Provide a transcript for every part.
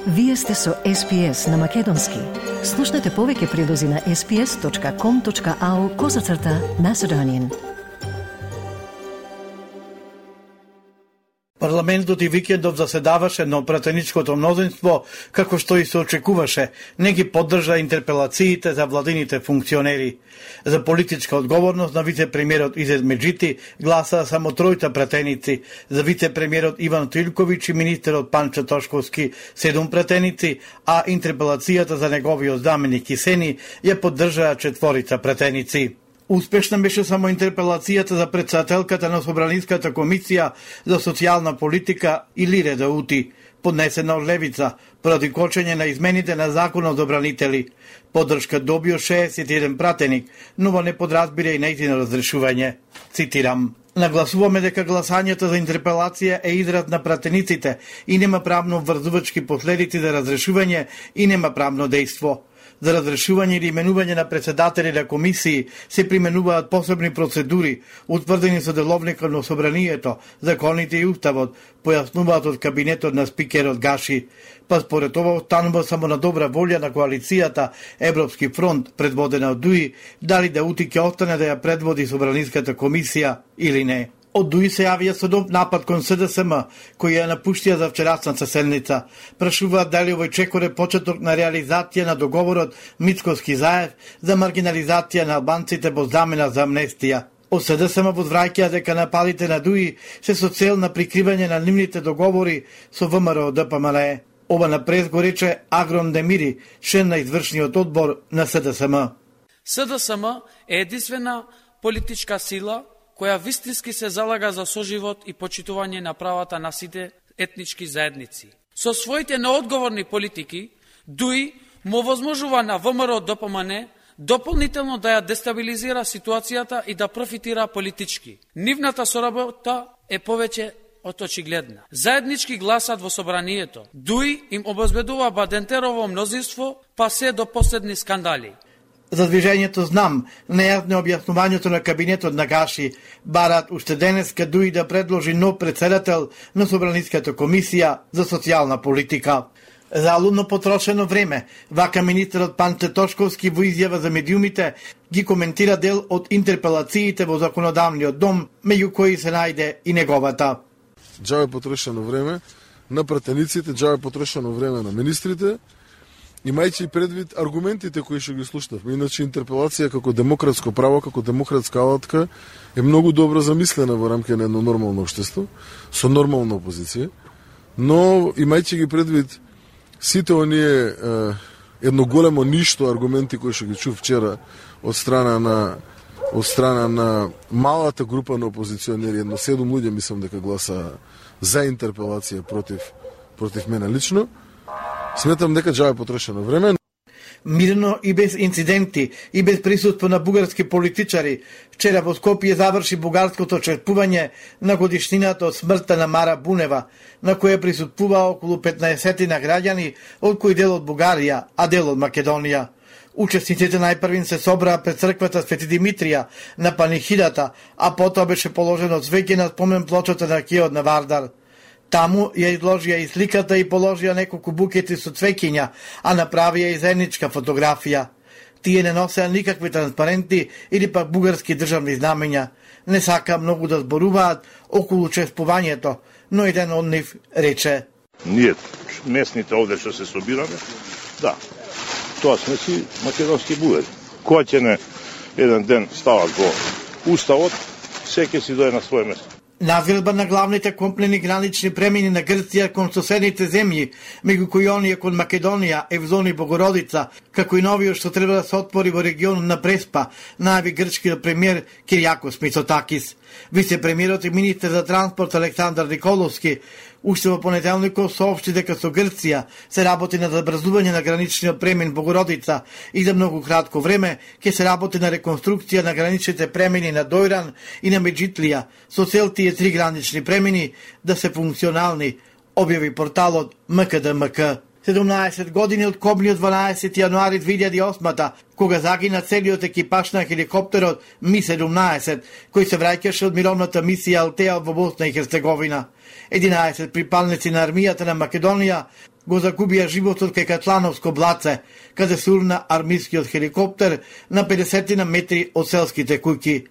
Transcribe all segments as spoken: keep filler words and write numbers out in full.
Вие сте со Ес Пи Ес на Македонски. Слушнете повеќе прилози на ес пи ес точка ком точка ау козацрта Macedonian. Парламентот и викендов заседаваше, но пратеничкото мнозинство, како што и се очекуваше, не ги поддржа интерпелациите за владините функционери. За политичка одговорност на вице-премиерот Изет Меджити гласаа само тројта пратеници, за вице-премиерот Иван Трилковиќ и министерот Панчо Тошковски седум пратеници, а интерпелацијата за неговиот заменик Кисени ја поддржаа четворица пратеници. Успешна беше само интерпелацијата за претседателката на Собраниската комисија за социјална политика Илире Даути, поднесена од Левица, поради кочење на измените на Законот за одбранители. Поддршка добио шеесет и еден пратеник, но во не подразбира и нејзино разрешување. Цитирам: "Нагласуваме дека гласањето за интерпелација е израз на пратениците и нема правно врзувачки последици за разрешување и нема правно дејство. За разрешување или именување на председатели на комисии се применуваат посебни процедури, утврдени со деловникот на собранието, законите и уставот, појаснуваат од кабинетот на спикерот Гаши. Па според ова останува само на добра волја на коалицијата Европски фронт, предводена од Дуи, дали да Ути ќе остане да ја предводи Собраниската комисија или не." Од Дуи се јавија со нов напад кон Се Де Се Ем, кој ја напуштија за вчерасната седница. Прашуваат дали овој чекор е почеток на реализација на договорот Мицковски-Заев за маргинализација на албанците во замена за амнестија. Од Се Де Се Ем возвраќаа дека нападите на Дуи се со цел на прикривање на нивните договори со Вэ Ем Р Д П М Л. Ова напред го рече Агрон Демири, член на извршниот одбор на Се Де Се Ем. Се Де Се Ем е единствена политичка сила која вистински се залага за соживот и почитување на правата на сите етнички заедници. Со своите неодговорни политики, Дуи му возможува на Вэ Ем Р Д П М Н дополнително да ја дестабилизира ситуацијата и да профитира политички. Нивната соработа е повеќе од очигледна. Заеднички гласат во собранието. Дуи им обезбедува Бадентерово мнозинство, па се до последни скандали. За движењето Знам, нејасно објаснувањето на кабинетот на Гаши, барат уште денеска Дуи да предложи нов председател на Собраниската комисија за социјална политика. Залудно потрошено време, вака министерот Панчо Тошковски во изјава за медиумите ги коментира дел од интерпелациите во законодавниот дом, меѓу кои се најде и неговата. Џабе потрошено време на пратениците, џабе потрошено време на министрите, имајќи предвид аргументите кои што ги слушнавме. Иначе интерпелација како демократско право, како демократска алатка е многу добро замислена во рамки на едно нормално општество, со нормална опозиција, но имајќи ги предвид сите оние е, едно големо ништо аргументи кои што ги чув вчера од страна на од страна на малата група на опозиционери, едно седум луѓе мислам дека гласа за интерпелација против против мене лично. Сметам дека џабе потрошено време. Мирно и без инциденти и без присуство на бугарски политичари, вчера во Скопје заврши бугарското чествување на годишнината од смртта на Мара Бунева, на која присуствуваа околу петнаесет на граѓани, од кои дел од Бугарија, а дел од Македонија. Учесниците најпрвин се собраа пред црквата Свети Димитрија на панихидата, а потоа беше положено цвеќе на спомен плочата на киот на Вардар. Таму ја изложија и сликата и положија неколку букети со цвеќиња, а направија и заедничка фотографија. Тие не носеа никакви транспаренти или пак бугарски државни знамења. Не сака многу да зборуваат околу чествувањето, но еден од нив рече: "Ние, местните овде што се собираме, да, тоа сме си македонски бугари. Која ќе не еден ден стават во уставот, секој си дое на своје место." Навилба на главните компнени гранични премини на Грција кон соседните земји, меѓу кои оние кон Македонија, Евзон и Богородица, како и новиот што треба да се отвори во регионот на Преспа, најави грчкиот премиер Киријакос Мицотакис. Вице-премиерот и министер за транспорт Александар Николовски уште во понеделникот соопшти дека со Грција се работи на забрзување на граничниот премин Богородица и за многу кратко време ќе се работи на реконструкција на граничните премини на Дојран и на Меджитлија, со цел тие три гранични премини да се функционални, објави порталот М К Д М К. седумнаесет години од кобниот дванаесети јануари две илјади и осма, кога загина целиот екипаж на хеликоптерот Ми седумнаесет, кој се враќаше од мировната мисија Алтеа во Босна и Херцеговина. единаесет припалници на армијата на Македонија го загубија животот кај Катлановско блаце, каде се урна армискиот хеликоптер на педесет метри од селските куќи.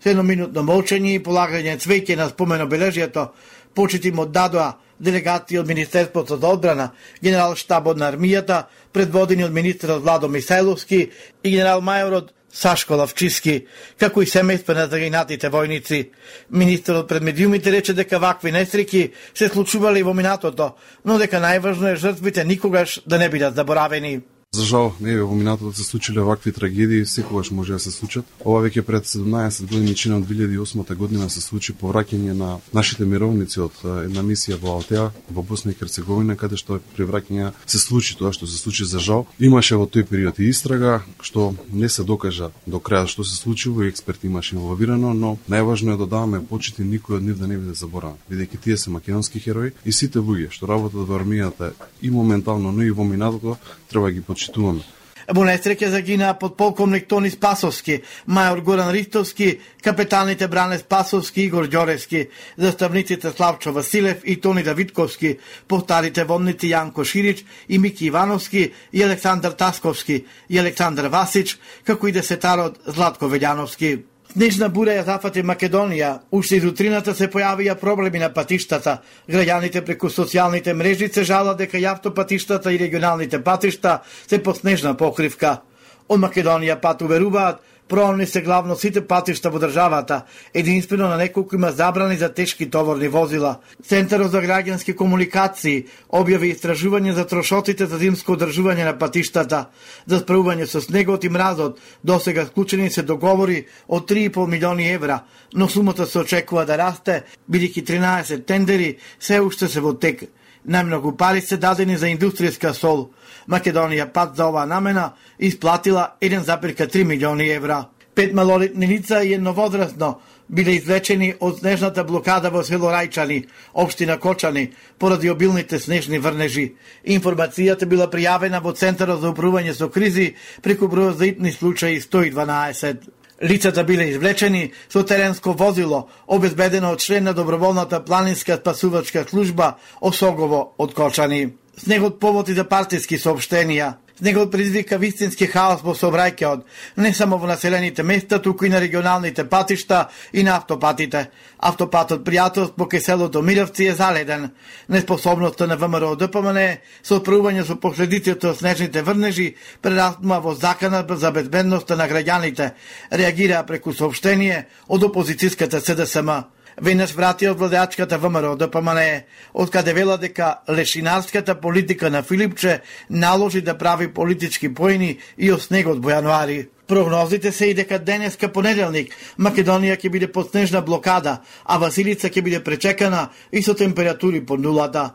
С едноминутно молчање и полагање цвеќе на споменобележјето, почити му дадоа делегации од Министерството за одбрана, генерал штабот на армијата, предводени од министерот Владо Мисајловски и генерал мајорот Сашко Лавчиски, како и семејства на загинатите војници. Министерот пред медиумите рече дека вакви несреќи се случувале и во минатото, но дека најважно е жртвите никогаш да не бидат заборавени. За жал, не во минатото се случиле вакви трагедии, секогаш може да се случат. Ова веќе пред седумнаесет години, чина од две илјади и осма година, се случи повраќање на нашите мировници од една мисија во Алтеа, во Босна и Херцеговина, каде што при враќање се случи тоа што се случи за жал. Имаше во тој период и истрага, што не се докажа до крај што се случило и експерти имаше инволвирано, но најважно е да даваме почит и никој од нив да не биде заборавен, бидејќи тие се македонски херои и сите луѓе што работат во армијата и моментално, но и во минатото, треба ги почитуваме. Во несреќа загинаа подполковник Тони Спасовски, мајор Горан Ристовски, капетаните Бране Спасовски и Игор Ѓоревски, заставниците Славчо Василев и Тони Давидковски, постарите вонници Јанко Ширич и Мики Ивановски и Александар Тасковски и Александар Васич, како и десетарот Златко Велјановски. Снежна бура ја зафати Македонија, уште из утрината се појавија проблеми на патиштата. Граѓаните преку социјалните мрежи се жалат дека и автопатиштата и регионалните патишта се под снежна покривка. Од Македонија пат уверуваат, проонни се главно сите патишта во државата, единствено на неколку има забрани за тешки товарни возила. Центарот за граѓански комуникации објави истражување за трошоците за зимско одржување на патиштата. За справување со снегот и мразот, досега склучени се договори од три и пол милиони евра, но сумата се очекува да расте, бидејќи тринаесет тендери се уште се во тек. Најмногу пари се дадени за индустријска сол. Македонија пат за оваа намена исплатила еден запир три милиони евра. Пет малолетни лица и едно возрастно биле извлечени од снежната блокада во село Рајчани, општина Кочани, поради обилните снежни врнежи. Информацијата била пријавена во Центарот за управување со кризи преку бројот за итни случаи сто и дванаесет. Лицата биле извлечени со теренско возило, обезбедено од член на доброволната планинска спасувачка служба Осогово од Кочани. Снегот поводи за партиски соопштенија. Снегот предизвика вистински хаос во сообраќајот, не само во населените места, туку и на регионалните патишта и на автопатите. Автопатот Пријателство покрај селото Мировци е заледен. Неспособноста на ВМРО Д П М Н со справување со последиците од снежните врнежи прераснува во закана за безбедноста на граѓаните, реагира преку соопштение од опозицијската С Д С М. Веднаш врати од владеачката ВМРО Д П М Н, од каде вела дека лешинарската политика на Филипче наложи да прави политички поени и од снегот во јануари. Прогнозите се и дека денеска понеделник Македонија ќе биде под снежна блокада, а Василица ќе биде пречекана и со температури под нулата.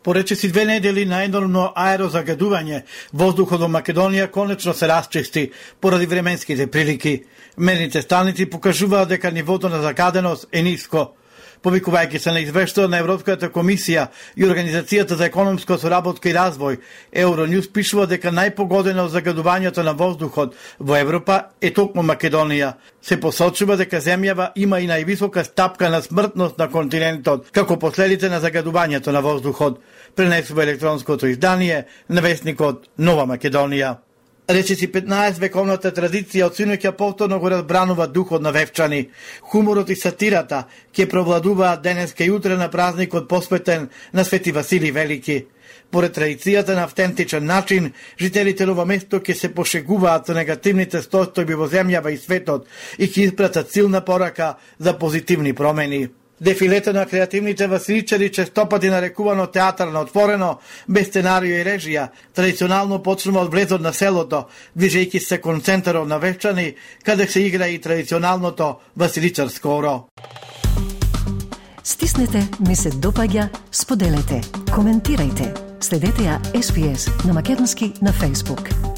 Поречиси две недели на енормно аерозагадување, воздухот во Македонија конечно се расчисти поради временските прилики. Мерните станици покажуваат дека нивото на загаденост е ниско. Повикувајќи се на извештајот на Европската комисија и Организацијата за економска соработка и развој, Евронјус пишува дека најпогодена од загадувањето на воздухот во Европа е токму Македонија. Се посочува дека земјава има и највисока стапка на смртност на континентот, како последица на загадувањето на воздухот, пренесува електронското издание на весникот Нова Македонија. Речиси петнаесет вековната традиција од синоќа повторно го разбранува духот на Вевчани. Хуморот и сатирата ќе провладуваат денеска и утре на празникот посветен на Свети Василий Велики. Поред традицијата на автентичен начин, жителите на ова место ќе се пошегуваат со негативните состојби во земјава и светот и ќе испратат силна порака за позитивни промени. Дефилето на креативните василичари, честопати нарекувано театар на отворено, без сценарио и режија, традиционално почнува од влезот на селото, движејќи се кон центарот на Вевчани, каде се игра и традиционалното василичарско оро. Стиснете, ми се допаѓа, споделете, коментирајте. Следете ја Ес Би Ес на македонски на Facebook.